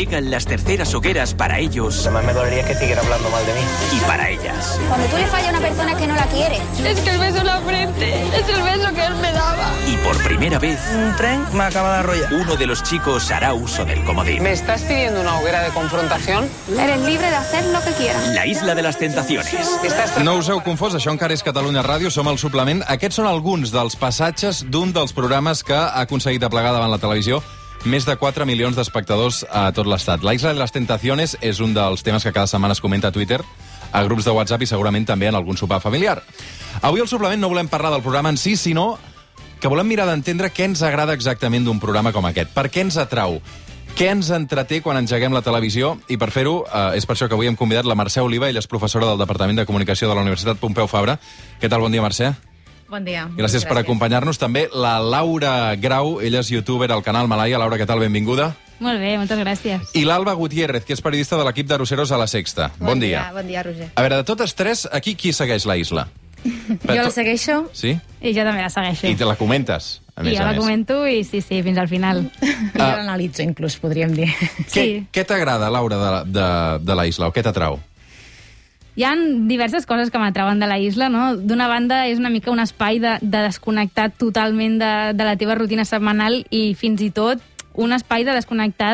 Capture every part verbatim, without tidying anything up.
llegan las terceras hogueras para ellos. Además me dolería que siguiera hablando mal de mí. Y para ellas. Cuando tú le fallas a una persona que no la quiere. Es que el beso en la frente es el beso que él me daba. Y por primera vez, Un tren me acaba de arrollar. uno de los chicos hará uso del comodín. ¿Me estás pidiendo una hoguera de confrontación? Eres libre de hacer lo que quieras. La isla de las tentaciones. Estàs... No us heu confós, això encara és Catalunya Ràdio, som el suplement. Aquests són alguns dels passatges d'un dels programes que ha aconseguit aplegar davant la televisió més de quatre milions d'espectadors a tot l'estat. La Isla de las Tentaciones és un dels temes que cada setmana es comenta a Twitter, a grups de WhatsApp i segurament també en algun sopar familiar. Avui al suplement no volem parlar del programa en si, sinó que volem mirar d'entendre què ens agrada exactament d'un programa com aquest. Per què ens atrau? Què ens entreté quan engeguem la televisió? I per fer-ho, eh, és per això que avui hem convidat la Mercè Oliva, ella és professora del Departament de Comunicació de la Universitat Pompeu Fabra. Què tal? Bon dia, Mercè. Bon dia. Gràcies, Gràcies. per acompanyar-nos. També la Laura Grau, ella és youtuber al canal Malaya. Laura, què tal? Benvinguda. Molt bé, moltes gràcies. I l'Alba Gutiérrez, que és periodista de l'equip d'Arosseros a la Sexta. Bon, bon dia. dia. Bon dia, Roger. A veure, de totes tres, aquí qui segueix la Isla? Jo la segueixo. Sí? I jo també la segueixo. I te la comentes, a més I jo a la més. comento i sí, sí, fins al final. I jo l'analitzo, inclús, podríem dir. Què, Sí. què t'agrada, Laura, de, de, de la Isla, o què t'atrau? Hi ha diverses coses que m'atrauen de la isla, no? D'una banda, és una mica un espai de, de desconnectar totalment de, de la teva rutina setmanal i fins i tot un espai de desconnectar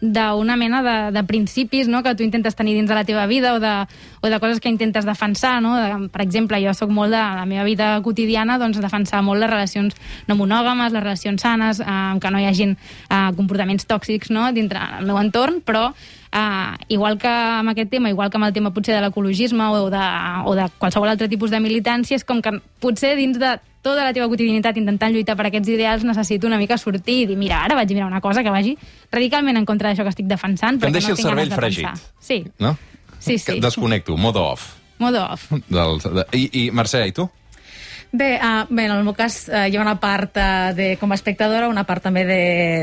d'una mena de, de principis, no?, que tu intentes tenir dins de la teva vida o de, o de coses que intentes defensar, no? De, per exemple, jo sóc molt de la meva vida quotidiana, doncs defensar molt les relacions no monògames, les relacions sanes, eh, que no hi hagin eh, comportaments tòxics, no?, dintre el meu entorn, però Uh, igual que amb aquest tema, igual que amb el tema potser de l'ecologisme o, de, o de qualsevol altre tipus de militància, és com que potser dins de tota la teva quotidianitat intentant lluitar per aquests ideals necessito una mica sortir i dir, mira, ara vaig a mirar una cosa que vagi radicalment en contra d'això que estic defensant. Que em deixi no el cervell de fregit. Sí. No? Sí, sí. Que desconnecto, modo off. Modo off. Del, de, i, I, Mercè, i tu? Bé, uh, bé, en el meu cas uh, hi ha una part uh, de, com a espectadora, una part també de,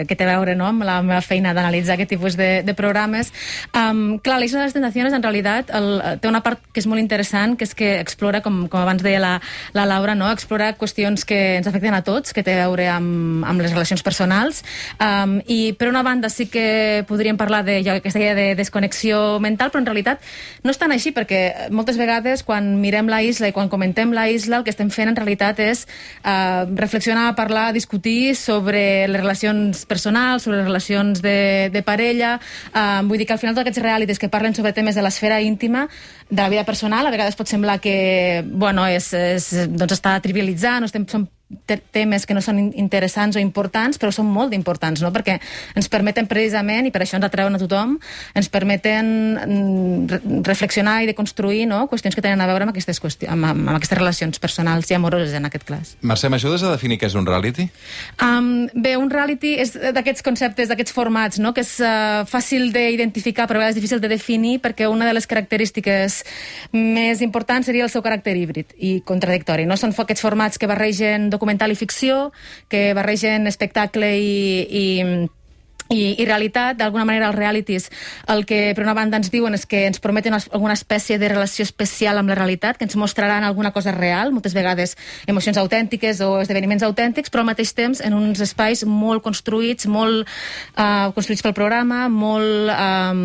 que té a veure, no?, amb la meva feina d'analitzar aquest tipus de, de programes. Um, clar, l'Isla de les Tentaciones, en realitat, el, té una part que és molt interessant, que és que explora, com, com abans deia la, la Laura, no?, explora qüestions que ens afecten a tots, que té a veure amb, amb les relacions personals. Um, I, per una banda, sí que podríem parlar de jo, aquesta idea de desconnexió mental, però en realitat no és tan així, perquè moltes vegades, quan mirem la Isla i quan comentem la Isla, el que estem fent en realitat és uh, reflexionar, parlar, discutir sobre les relacions personals, sobre les relacions de, de parella. Uh, vull dir que al final tots aquests realities que parlen sobre temes de l'esfera íntima, de la vida personal, a vegades pot semblar que, bueno, és, és, doncs està trivialitzant, no estem, són temes que no són interessants o importants, però són molt importants, no?, perquè ens permeten precisament, i per això ens atreuen a tothom, ens permeten reflexionar i deconstruir, no?, qüestions que tenen a veure amb aquestes, qüestions, amb, amb aquestes relacions personals i amoroses, en aquest cas. Mercè, m'ajudes a definir què és un reality? Um, bé, un reality és d'aquests conceptes, d'aquests formats, no?, que és uh, fàcil d'identificar, però a vegades difícil de definir, perquè una de les característiques més importants seria el seu caràcter híbrid i contradictori, no? Són aquests formats que barregen documental i ficció, que barregen espectacle i, i, i, i realitat. D'alguna manera els realities el que per una banda ens diuen és que ens prometen alguna espècie de relació especial amb la realitat, que ens mostraran alguna cosa real, moltes vegades emocions autèntiques o esdeveniments autèntics, però al mateix temps en uns espais molt construïts, molt uh, construïts pel programa, molt, um,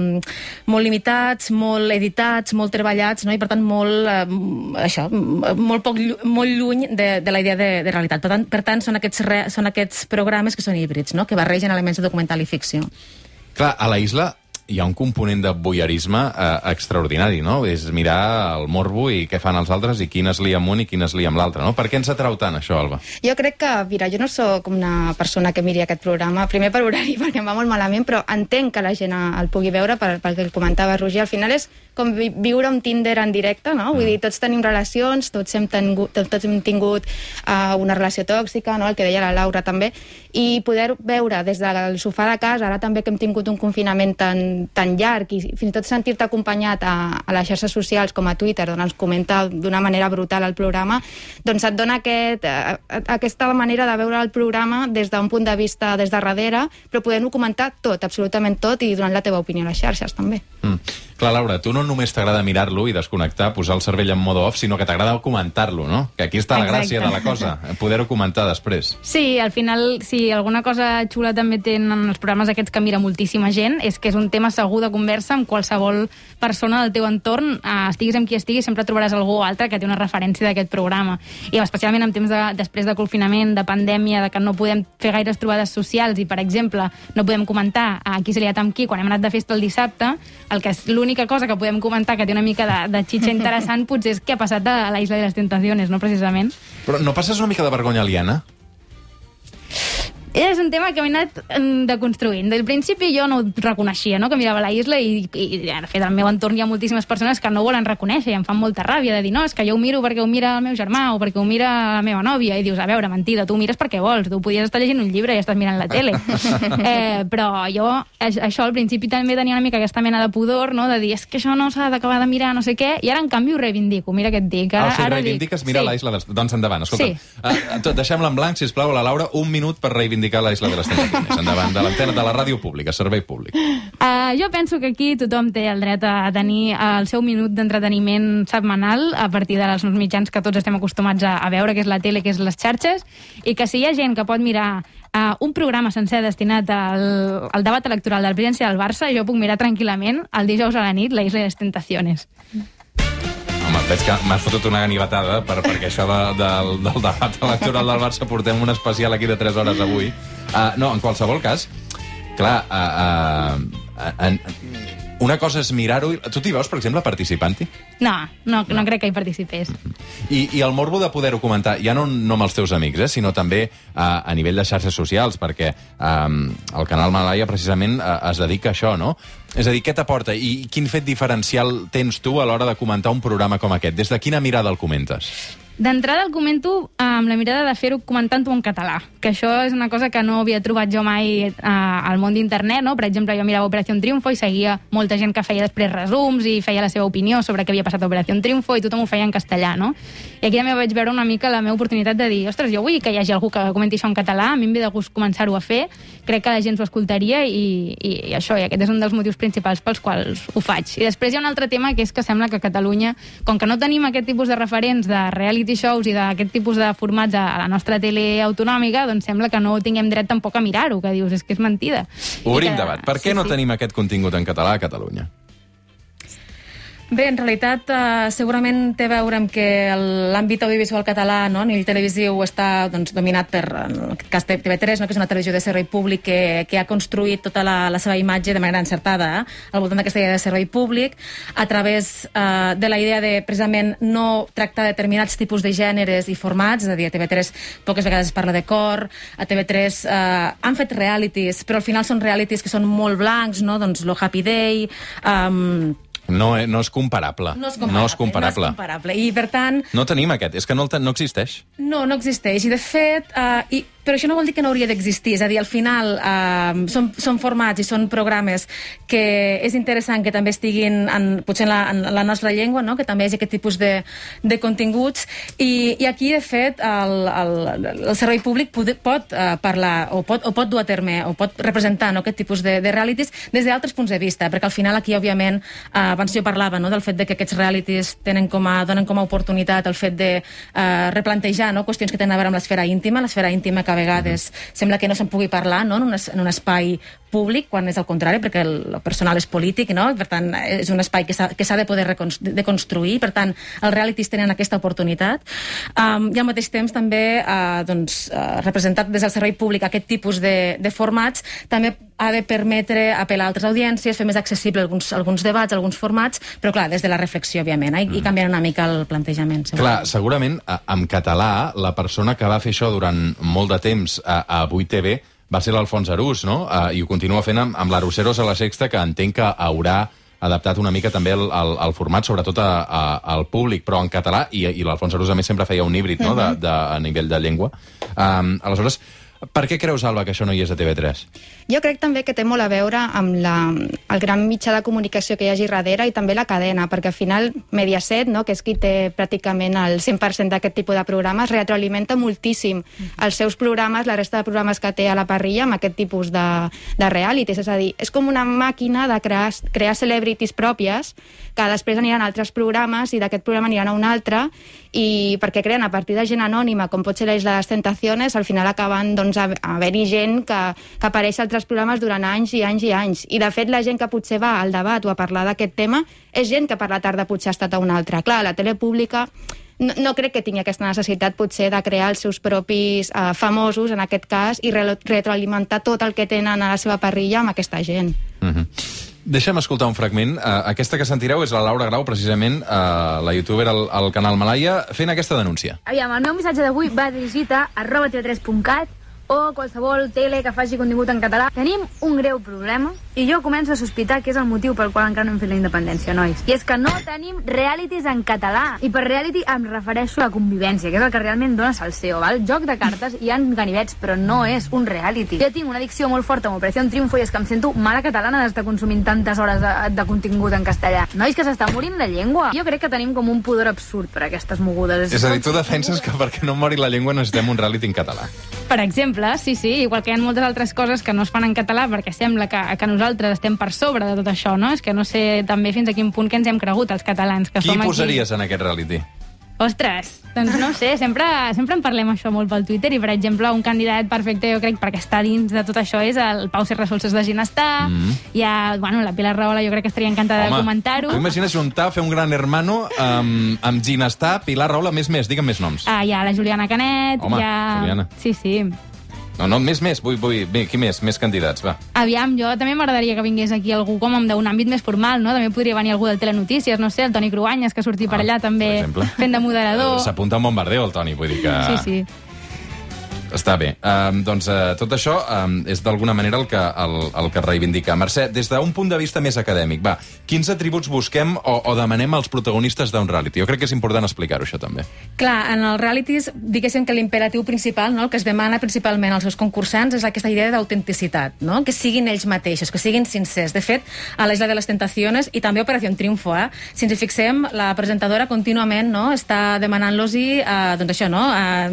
molt limitats, molt editats, molt treballats, no? I per tant molt, uh, això, molt, poc, molt lluny de, de la idea de, de realitat. Per tant, per tant són, aquests re, són aquests programes que són híbrids, no?, que barregen elements de documental i ficció. Clar, a la Isla hi ha un component de voyeurisme eh, extraordinari, no? És mirar el morbo i què fan els altres i quin es lia amb un i quin es lia amb l'altre, no? Per què ens atrau tant, això, Alba? Jo crec que, mira, jo no sóc una persona que miri aquest programa, primer per horari, perquè em va molt malament, però entenc que la gent el pugui veure, pel, pel que comentava Roger. Al final és com vi viure un Tinder en directe, no? Vull dir, tots tenim relacions, tots hem tingut, tots hem tingut uh, una relació tòxica, no?, el que deia la Laura també, i poder veure des del sofà de casa, ara també que hem tingut un confinament tan, tan llarg, i fins i tot sentir-te acompanyat a, a les xarxes socials com a Twitter, on ens comenta d'una manera brutal el programa, doncs et dona aquest, uh, aquesta manera de veure el programa des d'un punt de vista des de darrere, però podent-ho comentar tot, absolutament tot, i donant la teva opinió a les xarxes també. Mm. Clar, Laura, tu no només t'agrada mirar-lo i desconnectar, posar el cervell en modo off, sinó que t'agrada comentar-lo, no? Que aquí està la gràcia de la cosa, poder-ho comentar després. Sí, al final, si alguna cosa xula també tenen els programes aquests que mira moltíssima gent, és que és un tema segur de conversa amb qualsevol persona del teu entorn, eh, estiguis amb qui estiguis, sempre trobaràs algú altre que té una referència d'aquest programa. I especialment en temps de, després de confinament, de pandèmia, de que no podem fer gaires trobades socials i, per exemple, no podem comentar a qui se li ha amb qui quan hem anat de festa el dissabte, el que és l'única cosa que podem comentar que té una mica de, de xitxa interessant potser és què ha passat a la Isla de les Tentaciones, no precisament. Però no passes una mica de vergonya aliena? És un tema que m'he anat deconstruint. Del principi jo no ho reconeixia, no?, que mirava la isla i, i de fet al meu entorn hi ha moltíssimes persones que no volen reconèixer i em fan molta ràbia de dir, no, és que jo ho miro perquè ho mira el meu germà o perquè ho mira la meva nòvia, i dius, a veure, mentida, tu ho mires perquè vols, tu podies estar llegint un llibre i estàs mirant la tele. eh, però jo això al principi també tenia una mica aquesta mena de pudor, no?, de dir, és que això no s'ha d'acabar de mirar, no sé què, i ara en canvi ho reivindico, mira què et dic. Ara, ah, o sigui, ara reivindiques dic, mirar sí. la isla de les... Doncs endavant, escolta. Sí. Uh, deixem-la en blanc, sisplau, a la Laura, un minut per reivindicar la Isla de les Tentaciones. Endavant, de l'antena de la ràdio pública, servei públic. Uh, jo penso que aquí tothom té el dret a tenir el seu minut d'entreteniment setmanal a partir dels mitjans que tots estem acostumats a, a veure, que és la tele, que és les xarxes, i que si hi ha gent que pot mirar uh, un programa sencer destinat al, al debat electoral de la presidència del Barça, jo puc mirar tranquil·lament el dijous a la nit la Isla de les Tentaciones. Home, veig que m'has fotut una ganivetada per, perquè això de, de, del debat electoral del Barça portem un especial aquí de tres hores avui. Uh, no, en qualsevol cas, clar, uh, uh, uh, uh, una cosa és mirar-ho... Tu t'hi veus, per exemple, participant-hi? No, no, no crec que hi participés. I, i el morbo de poder-ho comentar, ja no, no amb els teus amics, eh, sinó també uh, a nivell de xarxes socials, perquè um, el canal Malaya precisament uh, es dedica a això, no? És a dir, què t'aporta i quin fet diferencial tens tu a l'hora de comentar un programa com aquest? Des de quina mirada el comentes? D'entrada el comento amb la mirada de fer-ho comentant-ho en català, que això és una cosa que no havia trobat jo mai eh, al món d'internet, no? Per exemple, jo mirava Operación Triunfo i seguia molta gent que feia després resums i feia la seva opinió sobre què havia passat a Operación Triunfo i tothom ho feia en castellà, no? I aquí també vaig veure una mica la meva oportunitat de dir, ostres, jo vull que hi hagi algú que comenti això en català, a mi em ve de gust començar-ho a fer, crec que la gent s'ho escoltaria i, i, i això, i aquest és un dels motius principals pels quals ho faig. I després hi ha un altre tema, que és que sembla que a Catalunya, com que no tenim aquest tipus de referents de reality shows i d'aquest tipus de formats a la nostra tele autonòmica, doncs sembla que no tinguem dret tampoc a mirar-ho, que dius, és que és mentida. Obrim que... debat. Per què sí, no sí. tenim aquest contingut en català a Catalunya? Bé, en realitat, eh, segurament té a veure amb que l'àmbit audiovisual català, no, a nivell televisiu, està doncs, dominat per, en aquest cas, T V tres, no, que és una televisió de servei públic que, que ha construït tota la, la seva imatge de manera encertada, eh, al voltant d'aquesta idea de servei públic, a través eh, de la idea de, precisament, no tractar determinats tipus de gèneres i formats, és a dir, a T V tres poques vegades es parla de cor, a T V tres eh, han fet realities, però al final són realities que són molt blancs, no, doncs lo Happy Day... Um, No, no és comparable. No és comparable. No és comparable. No és comparable. I, per tant... No tenim aquest. És que no, el ten... no existeix. No, no existeix. I, de fet... Uh, i, però això no vol dir que no hauria d'existir. És a dir, al final uh, són, són formats i són programes que és interessant que també estiguin en, potser en la, en la nostra llengua, no? Que també hi hagi aquest tipus de, de continguts. I, I aquí, de fet, el, el, el servei públic pot, pot uh, parlar o pot, o pot dur a terme o pot representar, no, aquest tipus de, de realities des d'altres punts de vista, perquè al final aquí, òbviament, uh, abans jo parlava, no, del fet de que aquests realities tenen com a, donen com a oportunitat el fet de uh, replantejar, no, qüestions que tenen a veure amb l'esfera íntima, l'esfera íntima que a vegades sembla que no se'n pugui parlar, no, en, un, en un espai públic, quan és al contrari, perquè el, el personal és polític, no? Per tant, és un espai que s'ha de poder deconstruir, per tant, els realities tenen aquesta oportunitat. Um, I al mateix temps també, uh, doncs, uh, representat des del servei públic aquest tipus de, de formats, també ha de permetre apel·lar a altres audiències, fer més accessible alguns, alguns debats, alguns formats, però clar, des de la reflexió, òbviament, eh? I canviant una mica el plantejament. Segurament. Clar, segurament, en català, la persona que va fer això durant molt de temps a, a vuit T V va ser l'Alfons Arús, no? Uh, I ho continua fent amb, amb l'Aruseros a la Sexta, que entenc que haurà adaptat una mica també el, el, el format, sobretot a, a, al públic, però en català, i, i l'Alfons Arús a més sempre feia un híbrid, no?, de, de, a nivell de llengua. Um, aleshores, per què creus, Alba, que això no hi és a T V tres? Jo crec també que té molt a veure amb la, el gran mitjà de comunicació que hi hagi darrere i també la cadena, perquè al final Mediaset, no, que és qui té pràcticament el cent per cent d'aquest tipus de programes, retroalimenta moltíssim els seus programes, la resta de programes que té a la parrilla amb aquest tipus de, de realities. És a dir, és com una màquina de crear, crear celebrities pròpies que després aniran a altres programes i d'aquest programa aniran a un altre, i perquè creen a partir de gent anònima, com pot ser la Isla de les Tentaciones, al final acaben doncs, a haver-hi gent que, que apareix a altres programes durant anys i anys i anys. I de fet la gent que potser va al debat o a parlar d'aquest tema és gent que per la tarda potser ha estat a una altra. Clar, la tele pública no, no crec que tingui aquesta necessitat potser de crear els seus propis eh, famosos, en aquest cas, i re retroalimentar tot el que tenen a la seva parrilla amb aquesta gent. Mm-hmm. Deixa'm escoltar un fragment. Uh, aquesta que sentireu és la Laura Grau, precisament, uh, la youtuber al, al canal Malaya, fent aquesta denúncia. Aviam, el meu missatge d'avui va dirigit a arroba tv tres punt cat o qualsevol tele que faci contingut en català. Tenim un greu problema i jo començo a sospitar que és el motiu pel qual encara no hem fet la independència, nois. I és que no tenim realities en català. I per reality em refereixo a la convivència, que és el que realment dona salseo, val? Joc de cartes, hi ha ganivets, però no és un reality. Jo tinc una addicció molt forta amb Operació Triunfo i és que em sento mala catalana d'estar consumint tantes hores de, de contingut en castellà. Nois, que s'està morint la llengua. Jo crec que tenim com un pudor absurd per aquestes mogudes. És a dir, tu defenses que perquè no mori la llengua necessitem un reality en català. Per exemple, sí, sí, igual que hi ha moltes altres coses que no es fan en català perquè sembla que, que nosaltres estem per sobre de tot això, no? És que no sé també fins a quin punt que ens hem cregut els catalans. Que Qui som posaries aquí... en aquest reality? Ostres, doncs no sé, sempre, sempre en parlem això molt pel Twitter i, per exemple, un candidat perfecte, jo crec, perquè està dins de tot això és el Pau Serrasolses de Ginestar, mm. hi ha, bueno, la Pilar Rahola jo crec que estaria encantada Home, de comentar-ho. Tu imagines juntar, fer un gran hermano amb, amb Ginestar, Pilar Rahola, més més, digue'm més noms. Ah, hi ha la Juliana Canet, Home, hi ha... Juliana. Sí, sí. No, no, més, més, vull, vull, bé, qui més? Més candidats, va. Aviam, jo també m'agradaria que vingués aquí algú com d'un àmbit més formal, no? També podria venir algú del Telenotícies, no sé, el Toni Cruanyes, que surti ah, per allà també fent de moderador. S'apunta a un bombardeo, el Toni, vull dir que... Sí, sí. Està bé. Um, doncs uh, tot això um, és d'alguna manera el que, el, el que reivindica. Mercè, des d'un punt de vista més acadèmic, va, quins atributs busquem o, o demanem als protagonistes d'un reality? Jo crec que és important explicar-ho, això també. Clar, en els realities, diguéssim que l'imperatiu principal, no, el que es demana principalment als seus concursants és aquesta idea d'autenticitat, no? Que siguin ells mateixos, que siguin sincers. De fet, a l'Isla de les Tentaciones i també a Operació Triunfo, eh? Si ens hi fixem, la presentadora contínuament, no, està demanant-los-hi, eh, doncs això, no, eh,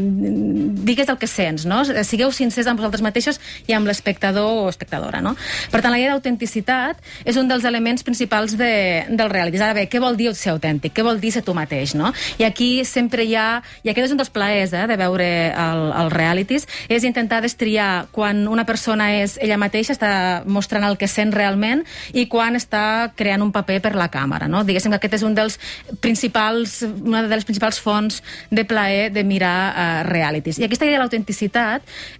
digues el que sents, no? Sigueu sincers amb vosaltres mateixos i amb l'espectador o espectadora, no? Per tant, la idea d'autenticitat és un dels elements principals de, del reality. Ara bé, què vol dir ser autèntic? Què vol dir ser tu mateix, no? I aquí sempre hi ha, i aquest és un dels plaers eh, de veure el, els realities, és intentar destriar quan una persona és ella mateixa, està mostrant el que sent realment, i quan està creant un paper per la càmera, no? Diguéssim que aquest és un dels principals, una de les principals fonts de plaer de mirar uh, realities. I aquesta idea de l'autenticitat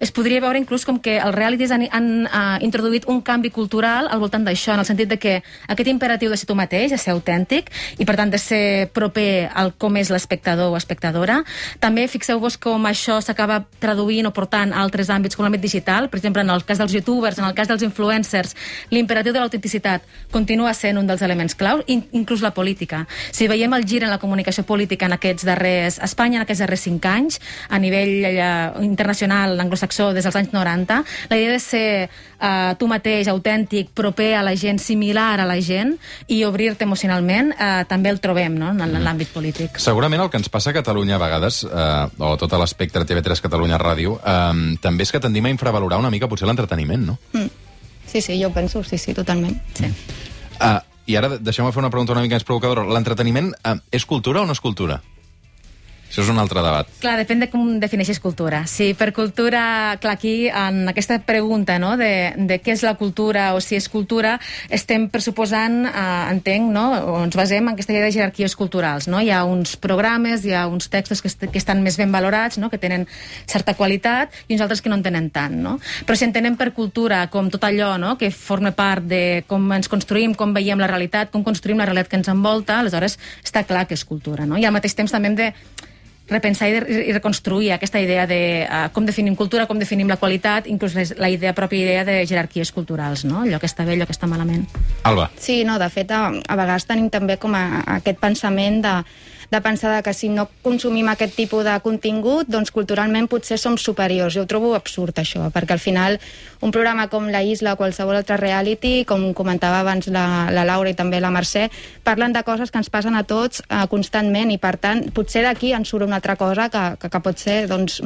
es podria veure inclús com que els realities han, han uh, introduït un canvi cultural al voltant d'això, en el sentit de que aquest imperatiu de ser tu mateix, de ser autèntic, i per tant de ser proper al com és l'espectador o espectadora. També fixeu-vos com això s'acaba traduint o portant a altres àmbits com l'àmbit digital. Per exemple, en el cas dels youtubers, en el cas dels influencers, l'imperatiu de l'autenticitat continua sent un dels elements claus, inclús la política. Si veiem el gir en la comunicació política en aquests darrers, a Espanya en aquests darrers cinc anys, a nivell eh, internacional, anglosaxó, des dels anys noranta, la idea de ser uh, tu mateix, autèntic, proper a la gent, similar a la gent, i obrir-te emocionalment, uh, també el trobem, no?, en l'àmbit polític. Segurament el que ens passa a Catalunya a vegades, uh, o tot l'espectre T V tres Catalunya Ràdio, um, també és que tendim a infravalorar una mica potser l'entreteniment, no? Mm. Sí, sí, jo ho penso, sí, sí, totalment. Sí. Uh, I ara deixeu-me fer una pregunta una mica més provocadora. L'entreteniment uh, és cultura o no és cultura? Això és un altre debat. Clar, depèn de com defineixes cultura. Si per cultura, clar, aquí, en aquesta pregunta, no?, de, de què és la cultura o si és cultura, estem pressuposant, eh, entenc, no?, o ens basem en aquesta idea de jerarquies culturals, no? Hi ha uns programes, hi ha uns textos que, est que estan més ben valorats, no?, que tenen certa qualitat, i uns altres que no en tenen tant, no? Però si entenem per cultura com tot allò, no?, que forma part de com ens construïm, com veiem la realitat, com construïm la realitat que ens envolta, aleshores està clar que és cultura, no? I al mateix temps també hem de repensar i, de, i reconstruir aquesta idea de uh, com definim cultura, com definim la qualitat, inclús la idea, pròpia idea de jerarquies culturals, no? Allò que està bé, allò que està malament. Alba. Sí, no, de fet, a, a vegades tenim també com a, a aquest pensament de de pensar que si no consumim aquest tipus de contingut, doncs culturalment potser som superiors. Jo ho trobo absurd, això, perquè al final un programa com La Isla o qualsevol altre reality, com comentava abans la, la Laura i també la Mercè, parlen de coses que ens passen a tots eh, constantment i, per tant, potser d'aquí ens surt una altra cosa que, que, que pot ser doncs,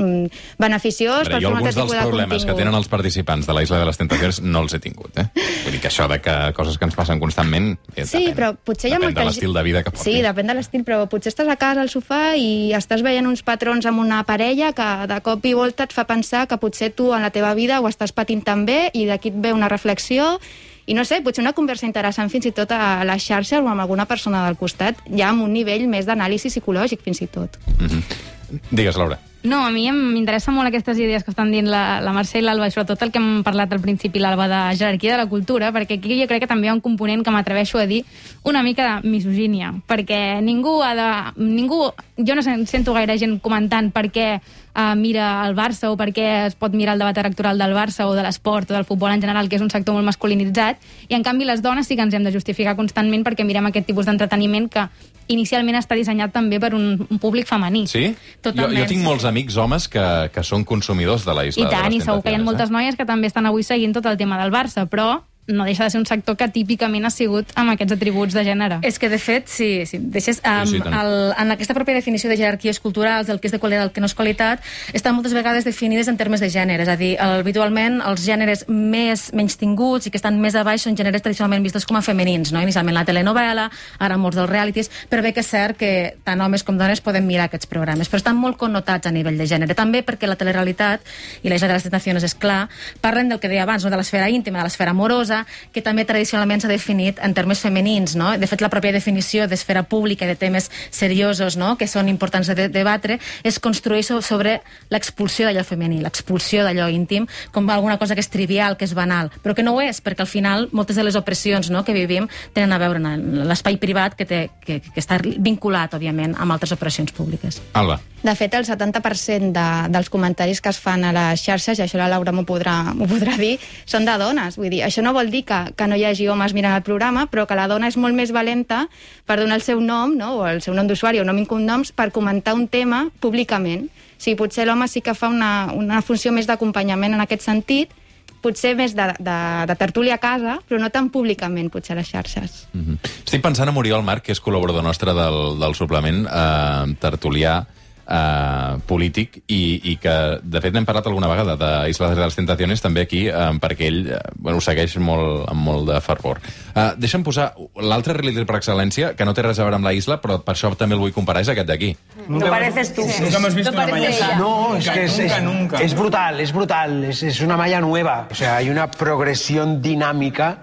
beneficiós. Però jo alguns dels problemes que tenen els participants de la Isla de les Tentacions no els he tingut, eh? Vull dir que això de que coses que ens passen constantment eh, sí, depèn. però potser hi ha depèn molta de l'estil de vida que portis. Sí, depèn de l'estil, però potser estàs a casa al sofà i estàs veient uns patrons amb una parella que de cop i volta et fa pensar que potser tu en la teva vida ho estàs patint també i d'aquí et ve una reflexió i no sé, potser una conversa interessant fins i tot a les xarxes o amb alguna persona del costat, ja amb un nivell més d'anàlisi psicològic fins i tot. Mm-hmm. Digues, Laura. No, a mi m'interessa molt aquestes idees que estan dient la, la Mercè i l'Alba, i sobretot el que hem parlat al principi, l'Alba, de jerarquia de la cultura, perquè aquí jo crec que també hi ha un component que m'atreveixo a dir una mica de misogínia, perquè ningú ha de... Ningú, jo no sento gaire gent comentant per què uh, mira el Barça o per què es pot mirar el debat electoral del Barça o de l'esport o del futbol en general, que és un sector molt masculinitzat, i en canvi les dones sí que ens hem de justificar constantment perquè mirem aquest tipus d'entreteniment que inicialment està dissenyat també per un, un públic femení. Sí? Totalment. Jo, jo tinc molts amics homes que, que són consumidors de la Isla I tant, de les i segur que hi ha moltes eh? noies que també estan avui seguint tot el tema del Barça, però no deixa de ser un sector que típicament ha sigut amb aquests atributs de gènere. És que, de fet, si, si deixes... Um, sí, sí, el, en aquesta pròpia definició de jerarquies culturals, del que és de qualitat, del que no és qualitat, estan moltes vegades definides en termes de gènere. És a dir, el, habitualment, els gèneres més menys tinguts i que estan més a baix són gèneres tradicionalment vistos com a femenins, no? Inicialment la telenovela, ara molts dels realities, però bé que és cert que tant homes com dones poden mirar aquests programes, però estan molt connotats a nivell de gènere. També perquè la telerealitat i la Isla de les Tentacions, és clar, parlen del que deia abans, no? De l'esfera íntima, de l'esfera amorosa, que també tradicionalment s'ha definit en termes femenins, no? De fet, la pròpia definició d'esfera pública i de temes seriosos, no? Que són importants de, de debatre, es construeix sobre l'expulsió d'allò femení, l'expulsió d'allò íntim, com alguna cosa que és trivial, que és banal, però que no ho és, perquè al final moltes de les opressions, no?, que vivim tenen a veure amb l'espai privat que, té, que, que està vinculat, òbviament, amb altres operacions públiques. Alba. De fet, el setanta per cent de, dels comentaris que es fan a les xarxes, i això la Laura m'ho podrà, m'ho podrà dir, són de dones. Vull dir, això no vol dir que, que no hi hagi homes mirant el programa, però que la dona és molt més valenta per donar el seu nom, no?, o el seu nom d'usuari o nom i cognoms, per comentar un tema públicament. O sigui, potser l'home sí que fa una, una funció més d'acompanyament en aquest sentit, potser més de, de, de tertúlia a casa, però no tan públicament, potser a les xarxes. Mm-hmm. Estic pensant en Oriol Marc, que és col·laborador nostre del, del suplement, eh, tertulià, Uh, polític i, i que, de fet, n'hem parlat alguna vegada de Isla de les Tentaciones, també aquí, um, perquè ell uh, bueno, ho segueix molt, amb molt de fervor. Uh, deixa'm posar l'altre reality per excel·lència, que no té res a veure amb la Isla, però per això també el vull comparar, és aquest d'aquí. No pareces tú. Nunca hemos visto una malla así. No, es nunca, que es, nunca, es, nunca. es brutal, es brutal, es, es una malla nueva. O sea, hay una progresión dinámica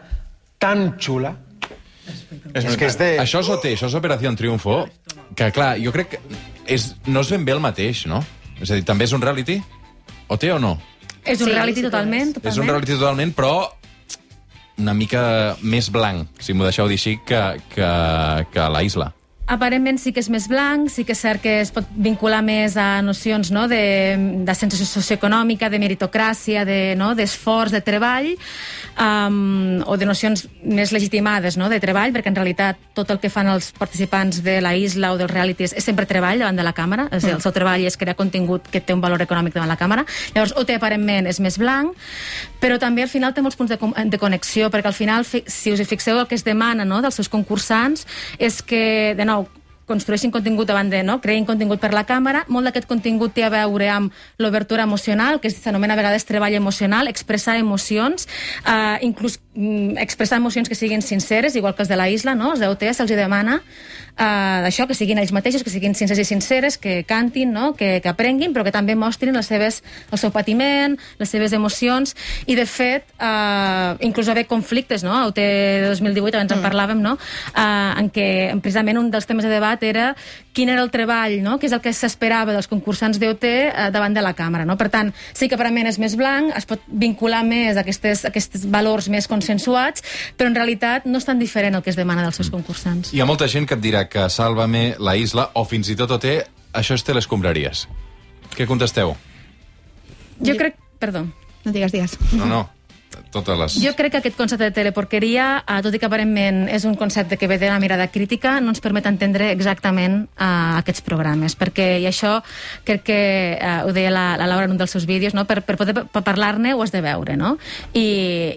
tan chula. És es que és de... Això és O T, això és Operació Triunfo, que, clar, jo crec que és, no és ben bé el mateix, no? És a dir, també és un reality? O T o no? És un sí, reality sí, totalment, totalment. És un reality totalment, però una mica més blanc, si m'ho deixeu dir així, que, que, que la Isla. Aparentment sí que és més blanc, sí que és cert que es pot vincular més a nocions, no?, de, de sensació socioeconòmica, de meritocràcia, de, no?, d'esforç, de treball, um, o de nocions més legitimades, no?, de treball, perquè en realitat tot el que fan els participants de la Isla o dels realities és sempre treball davant de la càmera, és a dir, el seu treball és crear contingut que té un valor econòmic davant la càmera. Llavors, O T aparentment és més blanc, però també al final té molts punts de, de connexió, perquè al final, si us hi fixeu, el que es demana, no?, dels seus concursants és que, de nou, construeixin contingut davant de, no?, creïn contingut per la càmera. Molt d'aquest contingut té a veure amb l'obertura emocional, que s'anomena a vegades treball emocional, expressar emocions, eh, inclús mm, expressar emocions que siguin sinceres, igual que els de la Isla, no?, els de O T se'ls demana Uh, d'això, que siguin ells mateixos, que siguin sincers i sinceres, que cantin, no?, que, que aprenguin, però que també mostrin les seves, el seu patiment, les seves emocions, i de fet uh, inclús va haver conflictes, no?, a O T dos mil divuit, abans mm. en parlàvem, no?, uh, en què precisament un dels temes de debat era quin era el treball, no?, que és el que s'esperava dels concursants d'O T uh, davant de la càmera, no? Per tant, sí que aparentment és més blanc, es pot vincular més a aquestes, aquests valors més consensuats, però en realitat no és tan diferent el que es demana dels seus concursants. Hi ha molta gent que et dirà que Sálvame, la Isla, o fins i tot O T, això és telescombraries. Què contesteu? Jo crec... Perdó. No digues, digues. No, no. totes les... Jo crec que aquest concepte de teleporqueria, eh, tot i que aparentment és un concepte que ve de la mirada crítica, no ens permet entendre exactament eh, aquests programes, perquè, i això crec que eh, ho deia la, la Laura en un dels seus vídeos, no? per, per poder per parlar-ne ho has de veure, no? I,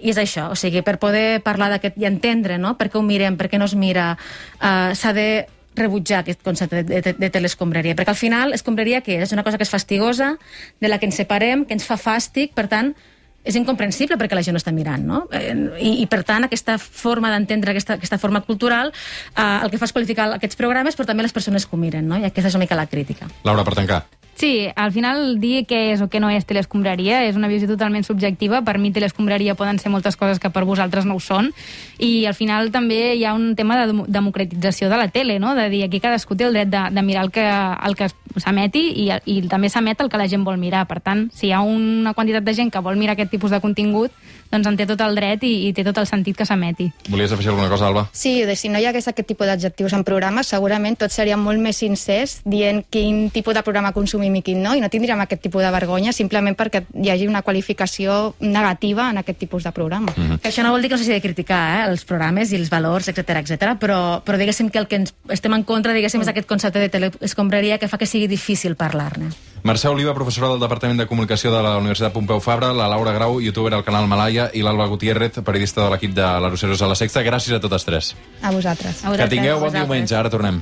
i és això, o sigui, per poder parlar d'aquest i entendre, no? Per què ho mirem, per què no es mira, eh, s'ha de rebutjar aquest concepte de, de, de telescombraria, perquè al final escombraria què és? És una cosa que és fastigosa, de la que ens separem, que ens fa fàstic, per tant, és incomprensible perquè la gent no està mirant, no? I, i per tant, aquesta forma d'entendre, aquesta, aquesta forma cultural, eh, el que fa és qualificar aquests programes, però també les persones que ho miren, no? I aquesta és una mica la crítica. Laura, per tancar. Sí, al final dir què és o què no és telescombraria és una visió totalment subjectiva. Per mi telescombraria poden ser moltes coses que per vosaltres no ho són, i al final també hi ha un tema de democratització de la tele, no? De dir aquí cadascú té el dret de, de mirar el que, el que s'emeti, i, i també s'emet el que la gent vol mirar. Per tant, si hi ha una quantitat de gent que vol mirar aquest tipus de contingut, doncs en té tot el dret i, i té tot el sentit que s'emeti. Volies afegir alguna cosa, Alba? Sí, de, si no hi hagués aquest tipus d'adjectius en programes, segurament tots seríem molt més sincers dient quin tipus de programa consumim i quin no, i no tindríem aquest tipus de vergonya simplement perquè hi hagi una qualificació negativa en aquest tipus de programa. Mm-hmm. Això no vol dir que no s'hagi de criticar eh, els programes i els valors, etcètera, etcètera, però, però diguéssim que el que ens estem en contra, diguéssim, és aquest concepte de telescombraria que fa que sigui difícil parlar-ne. Mercè Oliva, professora del Departament de Comunicació de la Universitat Pompeu Fabra, la Laura Grau, youtuber al canal Malaya, i l'Alba Gutiérrez, periodista de l'equip de l'Aroceros a la Sexta. Gràcies a totes tres. A vosaltres. Que tingueu bon diumenge. Ara tornem.